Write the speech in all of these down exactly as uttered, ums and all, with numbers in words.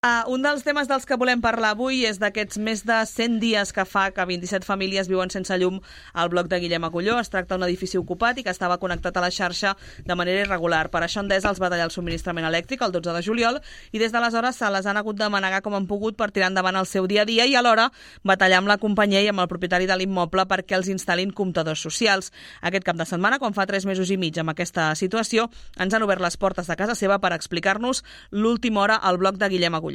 Uh, un dels temes dels que volem parlar avui és d'aquests més de cent dies que fa que vint-i-set famílies viuen sense llum al bloc de Guillem Agulló. Es tracta d'un edifici ocupat i que estava connectat a la xarxa de manera irregular. Per això Endesa els va tallar el subministrament elèctric el dotze de juliol i des d'aleshores se les han hagut de manegar com han pogut per tirar endavant el seu dia a dia i alhora batallar amb la companyia i amb el propietari de l'immoble perquè els instal·lin comptadors socials. Aquest cap de setmana, quan fa tres mesos i mig amb aquesta situació, ens han obert les portes de casa seva per explicar-nos l'última hora al bloc de Guillem Agulló.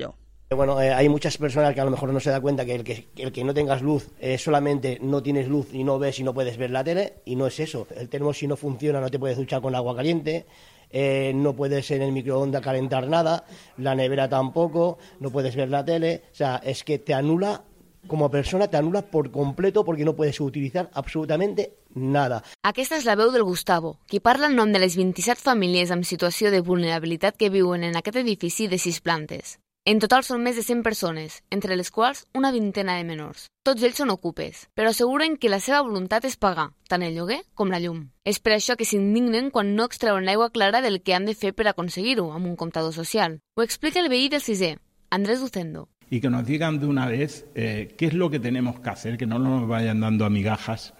Bueno, eh, hay muchas personas que a lo mejor no se da cuenta que el que, el que no tengas luz eh, solamente no tienes luz y no ves y no puedes ver la tele, y no es eso. El termo, si no funciona, no te puedes duchar con agua caliente, eh, no puedes en el microondas calentar nada, la nevera tampoco, no puedes ver la tele. O sea, es que te anula, como persona, te anula por completo porque no puedes utilizar absolutamente nada. Aquesta és la veu del Gustavo, qui parla en nom de les vint-i-set famílies amb situació de vulnerabilitat que viuen en aquest edifici de sis plantes. En total són més de cent persones, entre les quals una vintena de menors. Tots ells són ocupes, però asseguren que la seva voluntat és pagar, tant el lloguer com la llum. És per això que s'indignen quan no extreuen l'aigua clara del que han de fer per aconseguir-ho, amb un comptador social. Ho explica el veí del sisè, Andrés Ducendo. Y que nos digan de una vez eh, qué es lo que tenemos que hacer, que no nos vayan dando a migajas,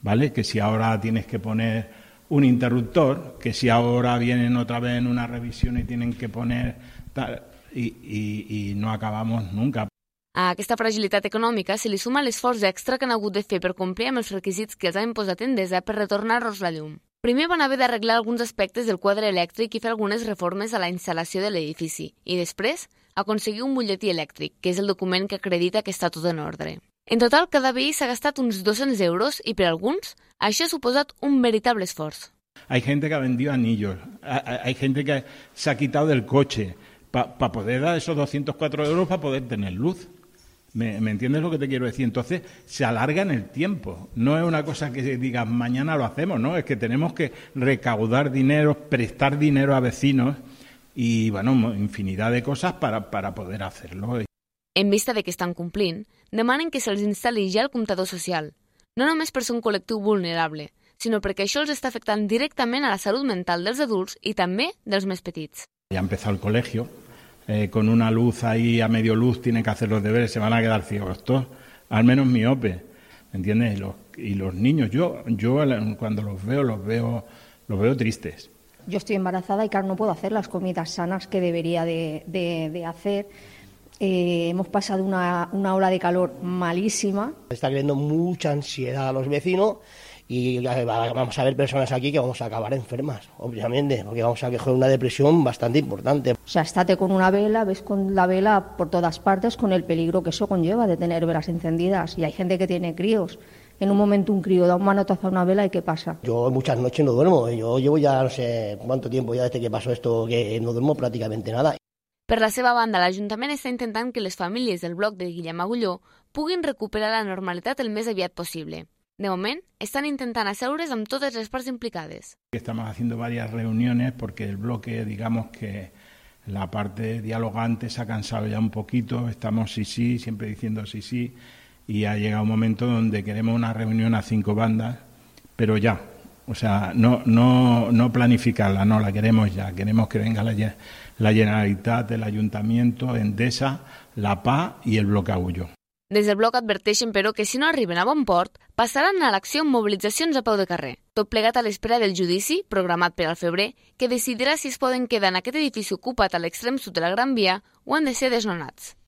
¿vale? Que si ahora tienes que poner un interruptor, que si ahora vienen otra vez en una revisión y tienen que poner tal... I, i, i no acabamos nunca. A aquesta fragilitat econòmica se li suma l'esforç extra que han hagut de fer per complir amb els requisits que els han imposat Endesa per retornar-los la llum. Primer van haver d'arreglar alguns aspectes del quadre elèctric i fer algunes reformes a la instal·lació de l'edifici i després aconseguir un butlletí elèctric, que és el document que acredita que està tot en ordre. En total, cada veí s'ha gastat uns dos-cents euros i per alguns això ha suposat un veritable esforç. Hay gente que ha vendido anillos, hay gente que se ha quitado del coche, para pa poder dar esos doscientos cuatro euros para poder tener luz. ¿Me, ¿Me entiendes lo que te quiero decir? Entonces, se alarga en el tiempo. No es una cosa que digas mañana lo hacemos, ¿no? Es que tenemos que recaudar dinero, prestar dinero a vecinos y, bueno, infinidad de cosas para, para poder hacerlo. En vista de que estan complint, demanen que se'ls instal·li ja el comptador social. No només per ser un col·lectiu vulnerable, sinó perquè això els està afectant directament a la salut mental dels adults i també dels més petits. Ya ha empezado el colegio, eh, con una luz ahí a medio luz tienen que hacer los deberes, se van a quedar ciegos todos, al menos miope, ¿me entiendes? Y los, y los niños, yo, yo cuando los veo, los veo, los veo tristes. Yo estoy embarazada y claro, no puedo hacer las comidas sanas que debería de, de, de hacer. Eh, hemos pasado una, una ola de calor malísima. Está creando mucha ansiedad a los vecinos. Y vamos a ver personas aquí que vamos a acabar enfermas, obviamente, porque vamos a coger una depresión bastante importante. O sea, estate con una vela, ves con la vela por todas partes con el peligro que eso conlleva de tener velas encendidas. Y hay gente que tiene críos. En un momento un crío da un manotazo a una vela y ¿qué pasa? Yo muchas noches no duermo. Yo llevo ya no sé cuánto tiempo ya desde que pasó esto que no duermo prácticamente nada. Per la seva banda, l'Ajuntament està intentant que les famílies del bloc de Guillem Agulló puguin recuperar la normalitat el més aviat possible. De moment, están intentando aseure's amb todas las partes implicadas. Estamos haciendo varias reuniones porque el bloque, digamos que la parte dialogante se ha cansado ya un poquito, estamos sí, sí, siempre diciendo sí, sí, y ha llegado un momento donde queremos una reunión a cinco bandas, pero ya, o sea, no, no, no planificarla, no, la queremos ya, queremos que venga la, la Generalitat, el Ayuntamiento, Endesa, la P A i el bloc Agulló. Des del bloc adverteixen, però, que si no arriben a bon port, passaran a l'acció amb mobilitzacions a peu de carrer. Tot plegat a l'espera del judici, programat per al febrer, que decidirà si es poden quedar en aquest edifici ocupat a l'extrem sud de la Gran Via o han de ser desnonats.